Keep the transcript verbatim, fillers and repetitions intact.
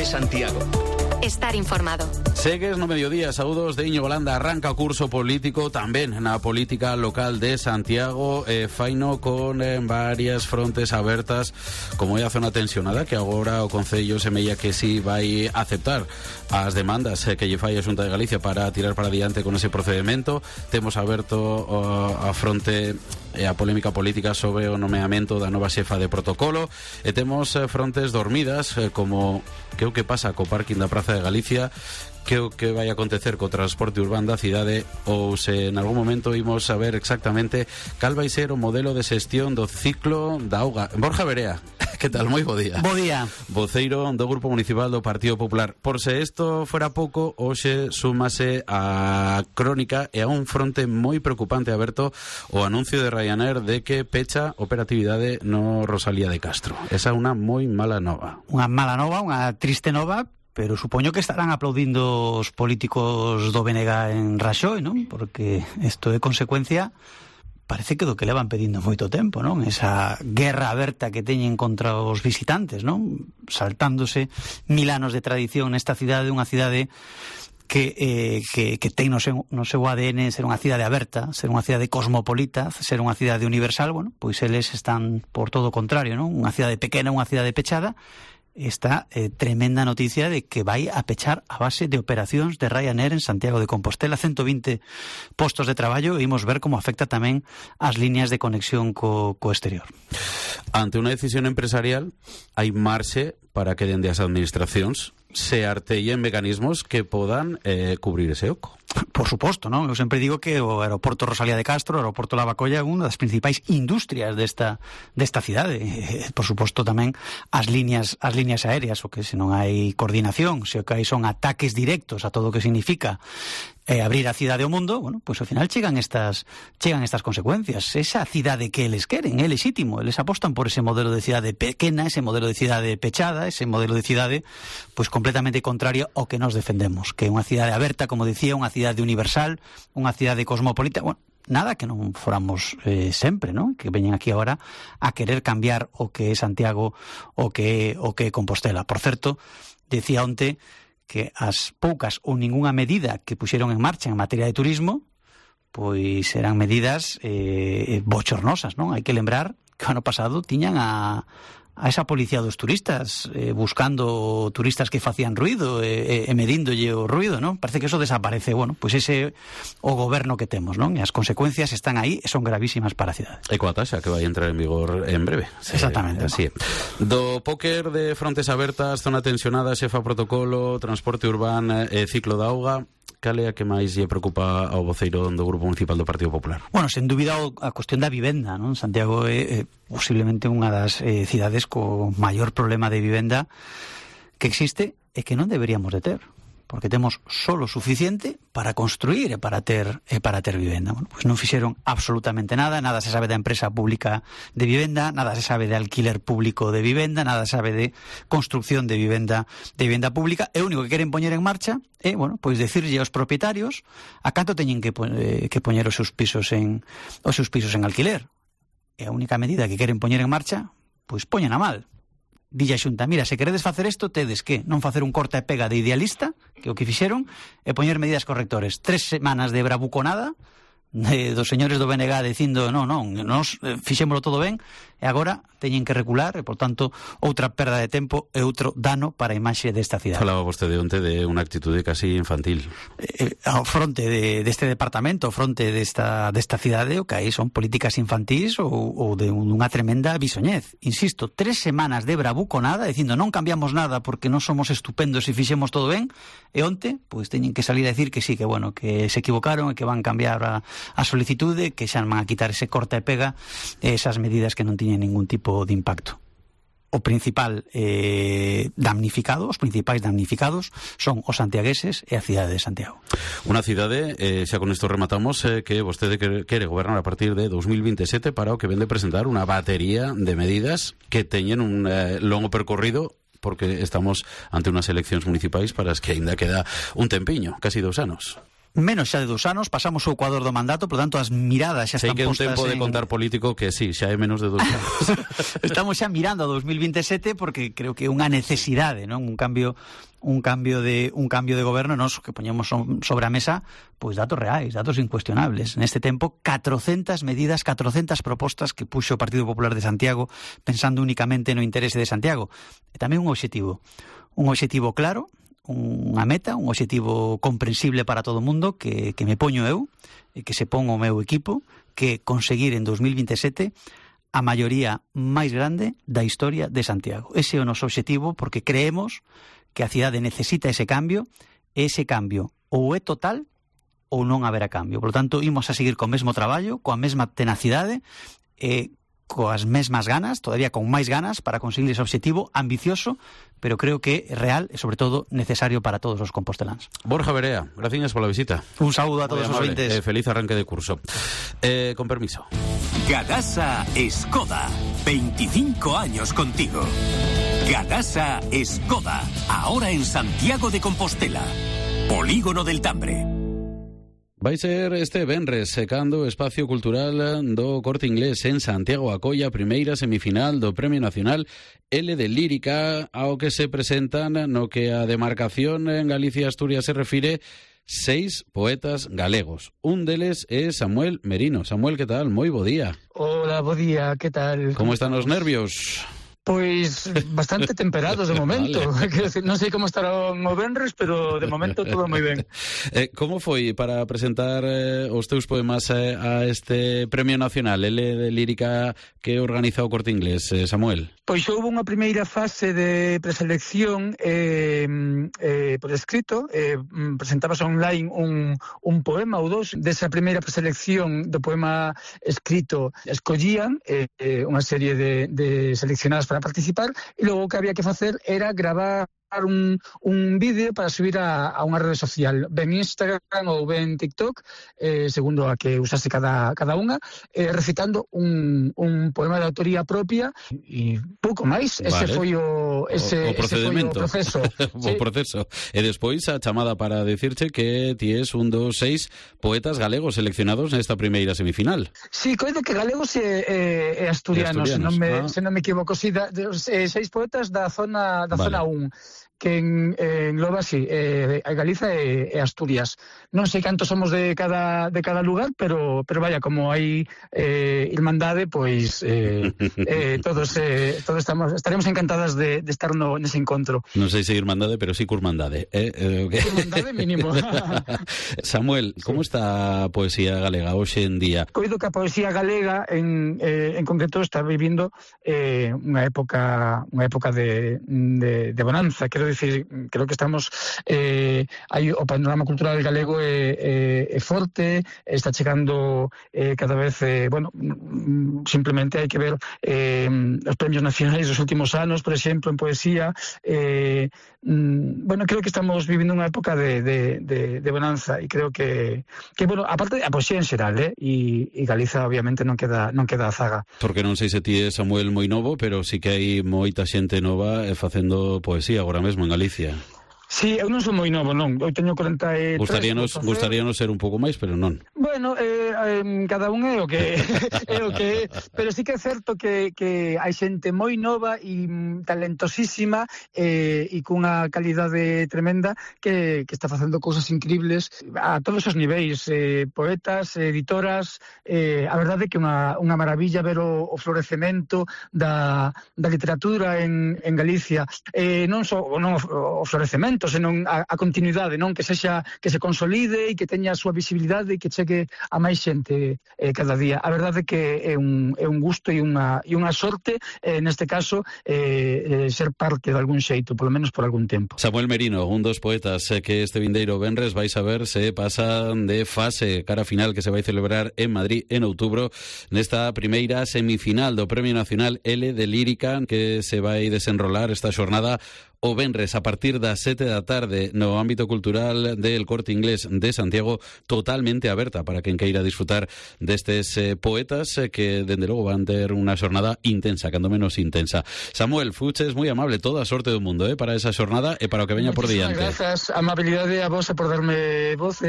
de Santiago. Estar informado. Segues no mediodía, saúdos de Íñigo Landa. Arranca o curso político tamén na política local de Santiago, eh, faino con eh, varias frontes abertas, como é a zona tensionada, que agora o Concello semella que si vai aceptar as demandas eh, que lle fai a Xunta de Galicia para tirar para diante con ese procedimento. Temos aberto uh, a fronte e a polémica política sobre o nomeamento da nova xefa de protocolo, e temos eh, frontes dormidas, eh, como que o que pasa co parking da Praza de Galicia, que o que vai acontecer co transporte urbano da cidade, ou se en algún momento imos saber exactamente cal vai ser o modelo de xestión do ciclo da auga. Borja Verea, que tal? Moi bo día. Bo día. Voceiro do Grupo Municipal do Partido Popular. Por se isto fora pouco, hoxe súmase a crónica e a un fronte moi preocupante aberto o anuncio de Ryanair de que pecha operatividade no Rosalía de Castro. Esa é unha moi mala nova. Unha mala nova, unha triste nova, pero supoño que estarán aplaudindo os políticos do B N G en Raxoi, non? Porque isto é consecuencia, parece que do que levan pedindo moito tempo, non? Esa guerra aberta que teñen contra os visitantes, non? Saltándose mil anos de tradición nesta cidade, unha cidade que, eh, que, que ten no seu, no seu A D N ser unha cidade aberta, ser unha cidade cosmopolita, ser unha cidade universal. Bueno, pois eles están por todo o contrario, non? Unha cidade pequena, unha cidade pechada. Esta eh, tremenda noticia de que vai a pechar a base de operacións de Ryanair en Santiago de Compostela, ciento vinte postos de traballo, e imos ver como afecta tamén as líneas de conexión co, co exterior. Ante unha decisión empresarial, hai marxe para que dende as administracións se artellen mecanismos que podan eh, cubrir ese oco. Por suposto, non? Eu sempre digo que o aeroporto Rosalía de Castro, o aeroporto Lavacolla, é unha das principais industrias desta desta cidade. E, por suposto, tamén as líneas as líneas aéreas, o que se non hai coordinación, se o que hai son ataques directos a todo o que significa eh, abrir a cidade ao mundo, bueno, pois ao final chegan estas chegan estas consecuencias. Esa cidade que eles queren é legítimo, eles apostan por ese modelo de cidade pequena, ese modelo de cidade pechada, ese modelo de cidade pois completamente contrario ao que nos defendemos, que é unha cidade aberta, como dicía, unha cidade universal, unha cidade cosmopolita. Bueno, nada que non foramos eh, sempre, non? Que veñen aquí agora a querer cambiar o que é Santiago, o que é, o que é Compostela. Por certo, decía onte que as poucas ou ningunha medida que puxeron en marcha en materia de turismo, pois eran medidas eh, bochornosas, non? Hai que lembrar que o ano pasado tiñan a a esa policía dos turistas, eh, buscando turistas que facían ruido e, e medíndolle o ruido, non? Parece que eso desaparece. Bueno, pois ese o goberno que temos, non? E as consecuencias están aí e son gravísimas para a cidade. E coa taxa que vai entrar en vigor en breve. Exactamente. Así. Do póker de frontes abertas, zona tensionada, xefa protocolo, transporte urbano e ciclo da auga, cal é a que máis lle preocupa ao voceiro do Grupo Municipal do Partido Popular? Bueno, sen dúbida a cuestión da vivenda, non? Santiago é, é posiblemente unha das eh, cidades co maior problema de vivenda que existe e que non deberíamos de ter, porque temos solo suficiente para construir e para ter e para ter vivenda. Bueno, pois non fixeron absolutamente nada, nada se sabe da empresa pública de vivenda, nada se sabe de alquiler público de vivenda, nada se sabe de construcción de vivenda de vivenda pública. E o único que queren poñer en marcha é, bueno, pois decirlle aos propietarios a canto teñen que eh, que poñer os seus pisos en os seus pisos en alquiler. E a única medida que queren poñer en marcha, pois poñen a mal. Dille a Xunta, mira, se queredes facer isto, tedes que non facer un corta e pega de idealista, que o que fixeron, e poñer medidas correctores. Tres semanas de bravuconada, de, dos señores do B N G dicindo, non, non, nos fixémolo todo ben, e agora teñen que recular, e, por tanto, outra perda de tempo e outro dano para a imaxe desta cidade. Falaba vostede onte de unha actitude casi infantil. Eh, ao fronte de, deste departamento, ao fronte desta, desta cidade, o que hai son políticas infantís ou, ou de unha tremenda bisoñez. Insisto, tres semanas de bravuconada, dicindo non cambiamos nada porque non somos estupendos e fixemos todo ben, e onte, pois teñen que salir a decir que sí, que bueno, que se equivocaron e que van cambiar a, a solicitude, que xa van a quitar ese corta e pega, esas medidas que non tiñen ningún tipo de impacto. O principal eh, damnificado, os principais damnificados son os santiagueses e a cidade de Santiago. Unha cidade, eh, xa con isto rematamos, eh, que vostede quere, quere gobernar a partir de dos mil veintisiete para o que ven de presentar unha batería de medidas que teñen un eh, longo percorrido, porque estamos ante unhas eleccións municipais para as que ainda queda un tempiño, casi dous anos. menos xa de dous anos, pasamos o ecuador do mandato, por tanto as miradas xa Sei están que é un postas tempo de en... contar político que sí, xa é menos de dous anos. Estamos xa mirando a dos mil veintesete porque creo que é unha necesidade, non? Un cambio un cambio de un cambio de goberno, nos que poñemos sobre a mesa pois datos reais, datos incuestionables. Neste tempo, catrocentas medidas, catrocentas propostas que puxo o Partido Popular de Santiago pensando únicamente no interese de Santiago. E tamén un obxectivo, un obxectivo claro, unha meta, un obxectivo comprensible para todo o mundo que, que me poño eu e que se pon o meu equipo, que conseguir en dos mil veintesete a maioría máis grande da historia de Santiago. Ese é o noso obxectivo porque creemos que a cidade necesita ese cambio e ese cambio ou é total ou non haberá cambio. Por lo tanto, imos a seguir co mesmo traballo, coa mesma tenacidade e coas mesmas ganas, todavía con máis ganas para conseguir ese obxectivo ambicioso, pero creo que é real e, sobre todo, necesario para todos os composteláns. Borja Berea, gracias pola visita. Un saúdo a todos os ouvintes. Eh, feliz arranque de curso. Eh, con permiso. Gadasa Skoda, veinticinco años contigo. Gadasa Skoda, ahora en Santiago de Compostela. Polígono del Tambre. Vai ser este venres secando o espacio cultural do Corte Inglés en Santiago a colla primeira semifinal do Premio Nacional L de Lírica, ao que se presentan no que a demarcación en Galicia e Asturias se refire seis poetas galegos. Un deles é Samuel Merino. Samuel, que tal? Moi bo día. Hola, bo día, que tal? Como están os nervios? Pois bastante temperados de momento. Vale. Quero decir, non sei como estarán o venres, pero de momento todo moi ben. Eh, como foi para presentar eh, os teus poemas eh, a este Premio Nacional L de Lírica que organiza o Corte Inglés, eh, Samuel? Pois houve unha primeira fase de preselección eh, eh, por escrito, eh, presentabas online un, un poema ou dos. Desa primeira preselección do poema escrito escollían eh, eh, unha serie de, de seleccionadas para participar e logo o que había que facer era gravar un, un vídeo para subir a, a unha rede social, ben Instagram ou ben TikTok, eh, segundo a que usase cada, cada unha, eh, recitando un, un poema de autoría propia e pouco máis. Ese vale. foi o, ese, o, o procedimento. Ese foi o proceso. o sí. proceso. E despois a chamada para decirche que ti es un dos seis poetas galegos seleccionados nesta primeira semifinal. Sí, coido que galegos e, e, e asturianos, e asturianos. Se, non me, ah. se non me equivoco, sí, da, de, eh, seis poetas da zona da vale. zona un. Que en, en engloba, sí, eh, a Galiza e, e Asturias. Non sei cantos somos de cada de cada lugar, pero pero vaya, como hai eh, irmandade, pois eh, eh, todos eh, todos estamos estaremos encantadas de, de estar no nese encontro. Non sei se irmandade, pero sí curmandade, eh, eh okay. Irmandade mínimo. Samuel, sí. Como está a poesía galega hoxe en día? Coido que a poesía galega en eh, en concreto está vivindo eh, unha época unha época de de, de bonanza, quero decir, creo que estamos eh, hai o panorama cultural galego é, é, é forte, está chegando eh, cada vez, eh, bueno, simplemente hai que ver eh, os premios nacionais dos últimos anos, por exemplo, en poesía, eh, bueno, creo que estamos vivindo unha época de, de, de, de bonanza e creo que, que bueno, aparte a poesía en xeral, eh, e, e Galiza obviamente non queda non queda a zaga. Porque non sei se ti é Samuel moi novo, pero sí que hai moita xente nova facendo poesía agora mesmo en Galicia. Sí, eu non sou moi novo, non. Eu teño corenta e tres. Gustaríanos, gustaríanos ser un pouco máis, pero non. Bueno, eh, eh, cada un é o que é o que é, pero sí que é certo que, que hai xente moi nova e talentosísima eh, e cunha calidade tremenda que, que está facendo cousas increíbles a todos os niveis, eh, poetas, editoras, eh, a verdade é que unha, unha maravilla ver o, o florecemento da, da literatura en, en Galicia, eh, non só non o, o florecemento, senón a, a continuidade, non que sexa que se consolide e que teña a súa visibilidade e que chegue a máis xente eh, cada día. A verdade é que é un, é un gusto e unha, e unha sorte, eh, neste caso, eh, eh, ser parte de algún xeito, polo menos por algún tempo. Samuel Merino, un dos poetas eh, que este vindeiro venres vais a ver se pasan de fase cara final que se vai celebrar en Madrid en outubro nesta primeira semifinal do Premio Nacional L de Lírica que se vai desenrolar esta xornada o venres a partir das sete da tarde no ámbito cultural del Corte Inglés de Santiago, totalmente aberta para quen queira disfrutar destes eh, poetas eh, que, dende logo, van ter unha xornada intensa, cando menos intensa. Samuel, fuches moi amable, toda a sorte do mundo eh, para esa xornada e para o que veña por diante. Grazas, amabilidade a vos por darme voz.